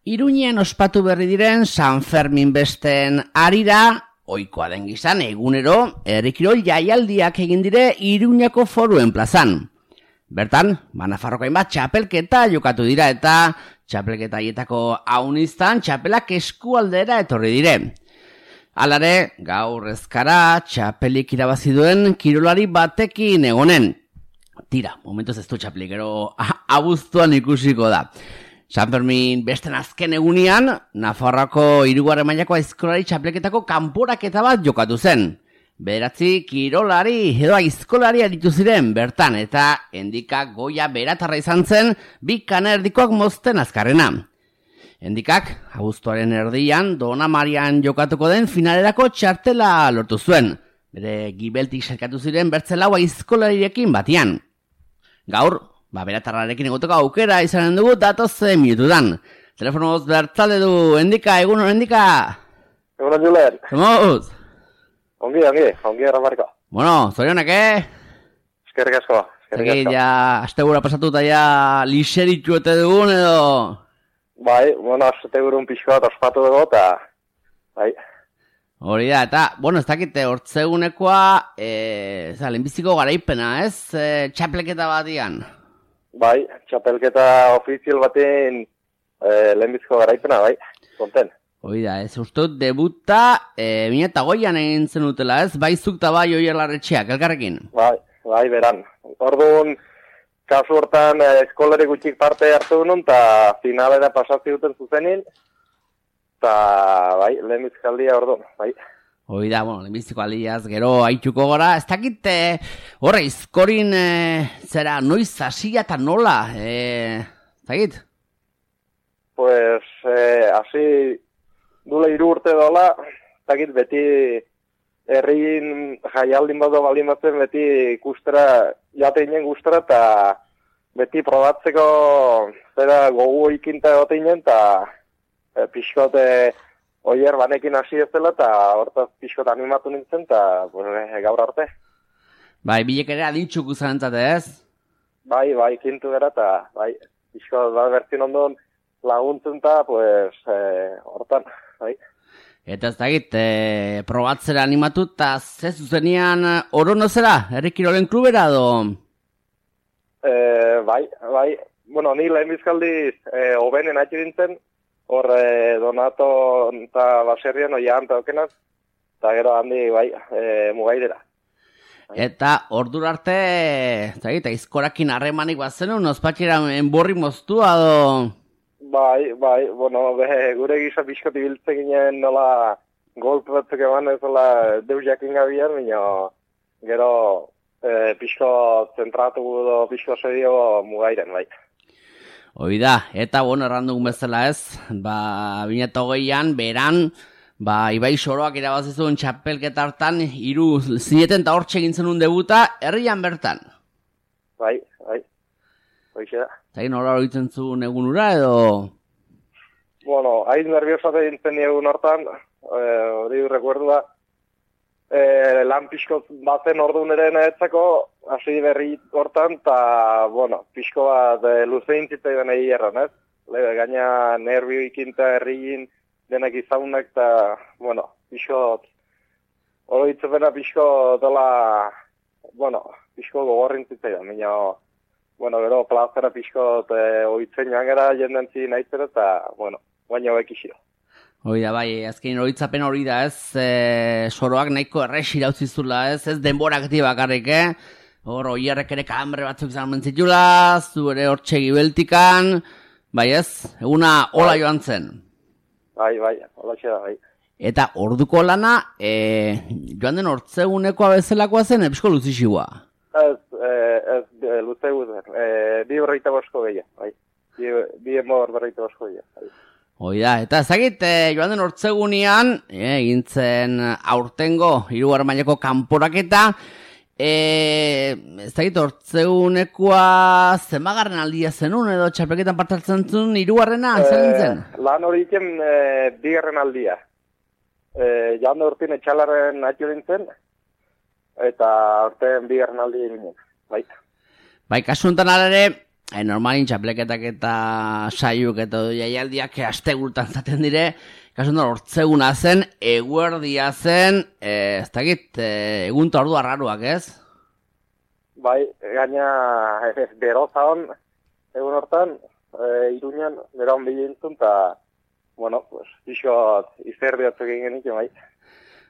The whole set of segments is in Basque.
Iruñean ospatu berri diren San Fermin besten harira, ohikoa den gizan egunero, herrikirol jaialdiak egin dire Iruñako Foruen plazan. Bertan, Nafarroko hainbat txapelketa jokatu dira eta txapelketa haietako auniztan txapelak eskualdera etorri dire. Halare, gaur ezkara txapelik irabazi duen kirolari batekin egonen. Tira, momentuz ez du txapelik, gero abuztuan ikusiko da. San Fermin besten azken egunean, Nafarroako 3. mailako aizkolari txapelketako kanporaketa bat jokatu zen. 9 kirolari edo aizkolari aritu ziren bertan eta Endikak Goia Beratarra izan zen 2 kana erdikoak mozten azkarrena. Endikak, abuztuaren erdian, Dona Marian jokatuko den finalerako txartela lortu zuen. Bere gibeltik sarkatu ziren bertzelau aizkolarirekin batian. Gaur, Beratarrarekin egoteko aukera izanen dugu datozen minutudan. Telefonoz bertzale du, Endika, egun hon, Endika? Egun hon, Julen. Zemuz? Ongi, erramarko. Bueno, zorionak, Eskerrik asko. Ja, astegura pasatu eta ja lixeritxu ete dugun edo... Bai, astegurun pixko bat ospatu dugu eta... Bai. Hori da, eta, ez dakite, hortzegunekoa, lehenbiziko garaipena, ez? Txapelketa batian. Bai, txapelketa ofizial baten lehenbiziko garaipena, bai, konten. Hori da, ez ustut debuta 2008an egin zen utela, ez? Bai zuk eta bai Oier Larretxeak, elkarrekin? Bai, beran. Orduan, kasu hortan eskolari gutxik parte hartu duen, eta finalera pasazio duten zuzenin, eta bai, lehenbizkaldia orduan, bai. Hoi da, lehenbiziko aldiaz, gero haituko gara. Ez dakit, horre, izkorin, zera, noiz hasia eta nola, zagit? Pues, hasi dula 3 urte dola, zagit, beti herrin jaialdin badu baldin batzen, beti ikustera, jateinen gustera, eta beti probatzeko zera gogu ikinta egoteinen, eta pixkote... Oier banekin hasi ez dela eta hortaz pixkot animatu nintzen eta gaur arte. Bai, bilek ere adintxuk uzanentzate ez? Bai, kintu gara eta pixkot bertzin ondon laguntzen eta hortan, bai. Eta ez dakit, probatzera animatu eta ze zuzenian orono zera, herrikirolen klubera edo? Bai, ni lehenbizkaldiz hobenen hati dintzen, hor Donato eta Baserrian oian eta okenaz, eta gero handi, mugairera. Eta ordura arte, zagit, aizkorakin harremanik bat zenun, ospatxera enborri moztua do? Bai, gure gisa pixkot ibiltzen ginen nola golpe batzuk eman ez nola deus jakin gabian, gero pixko zentratu do pixko sedio mugairen, bai. Hoi da, eta errandugun bezala ez, 2008an, beran, Ibai Soroak irabazizun txapelketa hartan, 3 zineten eta hortxe egin zenun debuta, herrian bertan. Bai, hoixe da. Zagin nola horitzen zuen egun ura edo? Hain nerviosate dintzen egun hortan, hori rekuerdu da, lan pixko bazen orduan ere nahetzako, hasi berri hortan, eta, pixko bat luzein zitzaidan egi erran, ez? Gaina nervio ikinta herriin denak izaunak, eta, pixko, hori itzepena pixko dela, pixko gogorrin zitzaidan, gero plazera pixko oitzen joan gara jendentzi nahitzera, eta, baina hobek isio. Hoi da, azkein horitzapen hori da, ez, Soroak nahiko errex irauzizula, ez denborak bakarrik, hor, oierrek ere kalambre batzuk izan mentzitula, zu ere hor txegibeltikan, ez, eguna hola joan zen. Bai, hola txeda, bai. Eta orduko lana, joan den hortzegunekoa bezalakoa zen, epsko luzixigua? Ez, luzegu zen, 2:45 gehiago, bai, 2:45 bai. Hoi da, eta ezagit, joan den hortzegunean, egintzen aurtengo 3. mailako kanporaketa, ezagit hortzegunekoa zenbagarren aldia zenun edo txapelketan partartzen zuen 3. zen zen? Lan hori iken 2. aldia. Joan da urtin etxalaren atio dintzen, eta horten 2. aldia ginen, bai. Bai, kasu enten alare, normalin txapleketak eta saiuk eta jaialdiak astegurtan zaten dire, kasuntan hortzeguna zen, eguerdia zen, ez dakit, egun ta ordu arraruak, ez? Bai, gaina beroza hon, egun hortan, Iruñan, bera hon bilintzun, eta, bueno, pues, pixot izerbiatzuk egin genik, bai.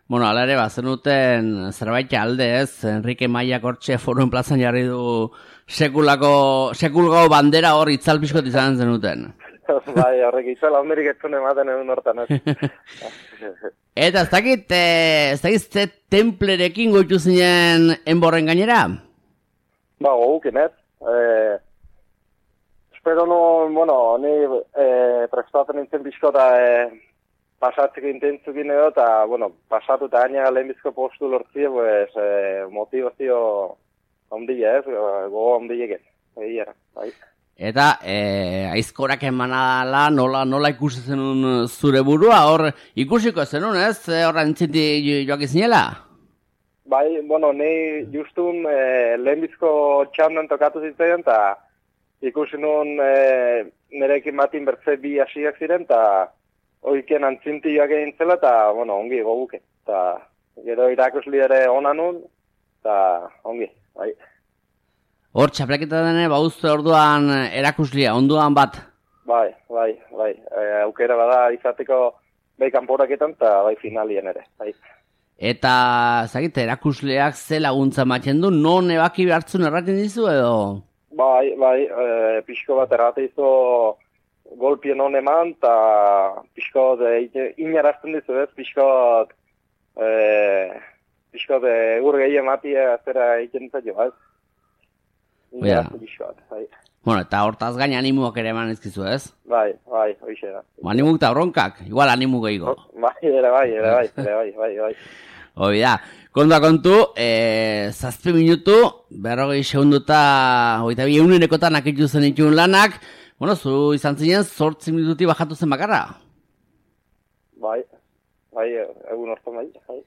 Bueno, ala ere, zenuten zerbait alde ez, Enrique Maiak hortxe Foruen plazan jarri du sekulgau bandera hor itzal pixkot izan zenuten. Bai, horrek itzal handirik etzun ematen egun hortan, ez. Eta ez dakit ze templerekin goitu zinen enborren gainera? Ba, goguken, ez. Espero no, bueno, ni prestatzen nintzen pixkota pasatzeko intentzukin edo, eta, bueno, pasatu eta gaina lehenbizko postu lortzie, pues, motivazio ondile, ez, gogo ondileken, egiera, bai. Eta, aizkorak emanala nola ikusi zenun zure burua, hor ikusiko zenun, ez, horra entziti joak izinela? Bai, bueno, ni justun lehenbizko txandan tokatu zitzaidan, eta ikusi nun nerekin batin bertze bi hasiak ziren, eta oiken antzintioak egin zela, eta, bueno, ongi goguke. Eta, gero irakusli ere ona nun, eta ongi, bai. Hor, txapleketa dene, bauzte orduan erakuslia, onduan bat? Bai. Aukera bada izateko bai kanporaketan, eta bai finalien ere, bai. Eta, zagite, erakusleak ze laguntza ematen du, non ebaki behartzun erraten dizu edo? Bai, pixko bat errate izo golpien hon eman, eta pixkot inarazten dizu ez, pixkot egur gehi ematia zera egiten zailo, ez? Inarazten pixkot, bai. Bueno, eta hortaz gain animuak ere eman ezkizu, ez? Bai, hoxe da. Animuk eta bronkak, igual animu gehiago. Bai. Hoi da, kontu, 7 minutu, 40 segunduta, hoita bi eunenekotan akitu zen itun lanak. Bueno, zu izan zinen 8 minututi bajatu zen bakarra. Bai, egun hortan bai.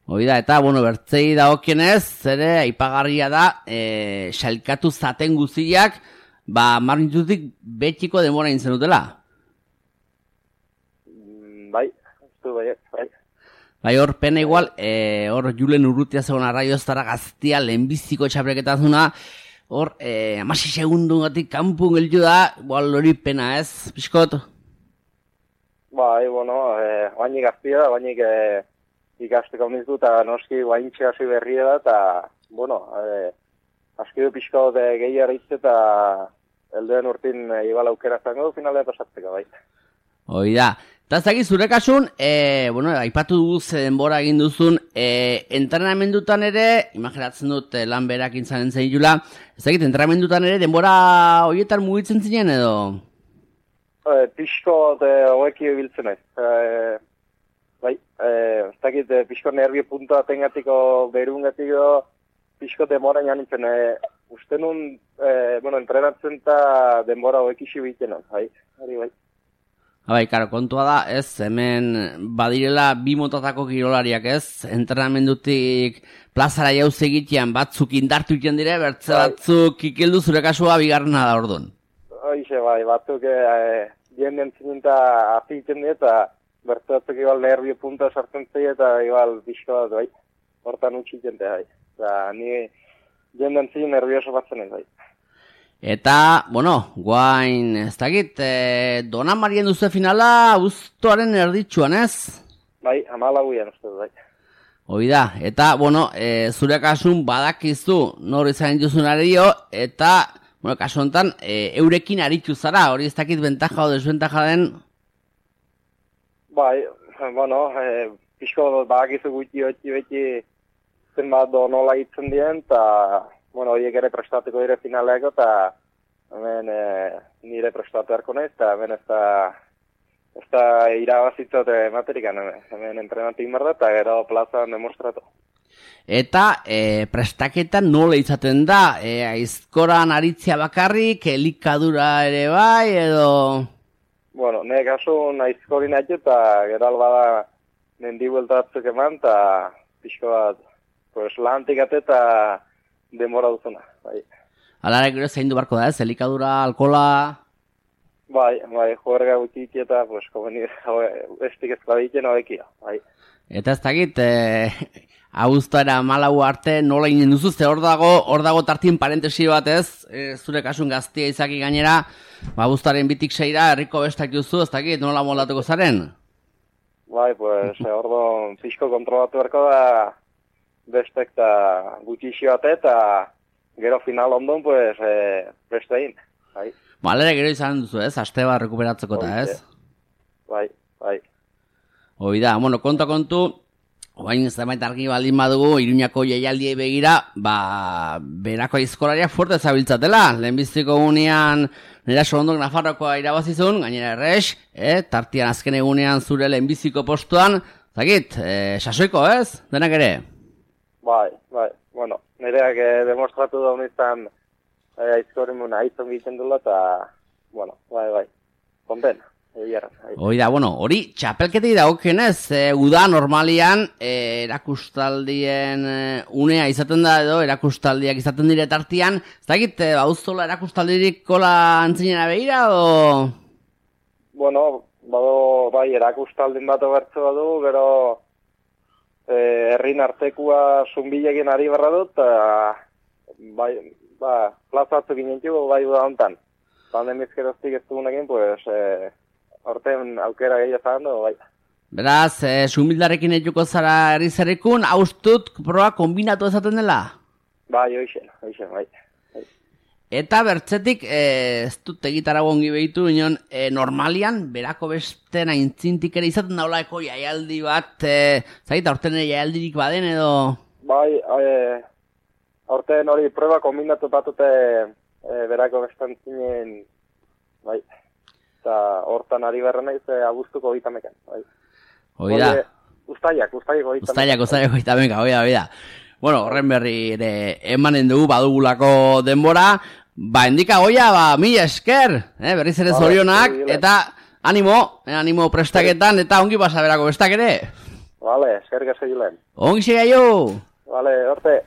Hoi da, eta, bueno, bertzei dagokienez, zere, aipagarria da, sailkatu zaten guziak, mar minututik betxiko denbora intzen dutela. Bai. Bai, hor, pena igual, hor, Julen Urrutia zegoen arraio zara gaztia, lehenbiziko txapreketazuna, hor, 16 segundungatik kanpun gelditu da, igual hori pena ez, pixkot? Bai, bueno, bainik gaztia da, bainik ikasteko nizu, eta noski baintxe hasi berria da, eta, bueno, aski du pixkot gehiara izte, eta elduen urtin igual aukera zango du, finalea pasatzeko, bai. Hoi da. Eta zaki zure kasun, bueno, aipatu dugu ze denbora egin duzun, entrenamendutan ere, imaginatzen dut lan berak intzanen zeitula, ezagit, entrenamendutan ere denbora horietan mugitzen zinen edo? Pixko hoeki biltzen ez. Bai, ezagit, pixko nervio puntua tengatiko berungatiko, pixko denbora janitzen. Uste nun, bueno, entrenatzen eta denbora hoeki xibiten, bai. Bai, karo, kontua da, ez, hemen badirela bi motatako kirolariak, ez, entrenamendutik plazara jauz egitean batzuk indartu iten dire, bertze batzuk ikildu zure kasua bigarrena da orduan. Hoize, bai, batzuk jenden zininta hazi iten dira, eta bertze batzuk igual nervio punta sartzen zei, eta igual pixko bat, bai, hortan utxik jente, bai. Eta ni jenden zin nervioso batzen ez, bai. Eta, bueno, guain, ez dakit, Dona Marien duzu finala abuztuaren erditxuan, ez? Bai, 14 uste du, bai. Hoi da, eta, bueno, zure kasun badakizu nor izan duzun ario, eta, bueno, kasu honetan, eurekin aritu zara, hori ez dakit bentaja o desbentaja den? Bai, bueno, pixko badakizu guti beti zenbat nola hitzen dien, eta bueno, horiek ere prestateko dire finaleako, eta hemen nire prestatu erko nahiz, eta hemen ez da irabazitzat materikan, hemen entrenatu inbar da, eta gero plazan demostratu. Eta prestaketan nola izaten da? Aizkoran aritzia bakarrik, elikadura ere bai, edo? Bueno, nire kasun aizkorin haitu, eta gero albada mendi bueltatzuk eman, eta pixko bat, pues, lantik ate eta demora duzuna, bai. Alara gero zein du barko da, ez? Elikadura, alkola... Bai, juerga gutxiti eta, pues, komeni, estik ez kladitzen hobekia, bai. Eta ez dakit, abuztuara malau arte nola inen duzu, ze hor dago tartin parentesi bat ez, zure kasun gaztia izaki gainera, abuztuaren bitik seira, herriko bestak duzu, ez dakit, nola moldatuko zaren? Bai, pues, ordo fisko kontrolatu berko da, bestek eta gutxixi bate, eta gero final ondon, pues, bestein, bai. Malera gero izan duzu, ez? Aste bat rekuperatzeko eta, ez? Bai. Hoi da, bueno, kontu, oain zenbait argi baldin badugu, Iruñako jaialdiei begira, berako aizkolariak fuerte zabiltzatela. Lehenbiztiko egunean, nera Sorondok Nafarrokoa irabazizun, gainera errex, tartian azken egunean zure lehenbiziko postuan, zakit, sasoiko, ez? Denak ere? Bai, bueno, nereak demostratu da honetan, aizkorimuna aizon egiten dula, eta, bueno, bai, konten, Hoi da, bueno, hori txapelketei dagokenez, uda normalian erakustaldien unea izaten da edo, erakustaldiak izaten dire tartian, ez dakit, bauzola erakustaldirik kola antzinera behira, o...? Bueno, bai, erakustaldin bat obertze badu, gero herrin artekua zunbilekin ari berra dut, bai, plazatzu ginen txugu, bai da hontan. Pandemizkeroztik ez dugunekin, pues, horten aukera gehiago zagando, bai. Beraz, zumbildarekin etuko zara herri-zerrikun, haustut proa kombinatu ezaten dela? Bai, hoixen, bai. Eta bertzetik, ez dut egitarago ongi behitu, normalian, berako besten aintzintik ere izaten daulako jaialdi bat, zait, aurten ere jaialdirik baden edo... Bai, aurten hori proba kombinatu batute berako bestan zinen, bai, eta hortan ari berra naiz abuztuko gitamekan, bai. Hoi da. Ustaiak gitamekan. Ustaiak gitamekan, hoi da. Bueno, horren berri ere emanen dugu badugulako denbora, endika goia, mila esker, berriz ere zorionak, eta animo prestaketan, eta ongi pasa berako bestak ere. Vale, esker gazegilen. Ongi segaio! Vale, horte.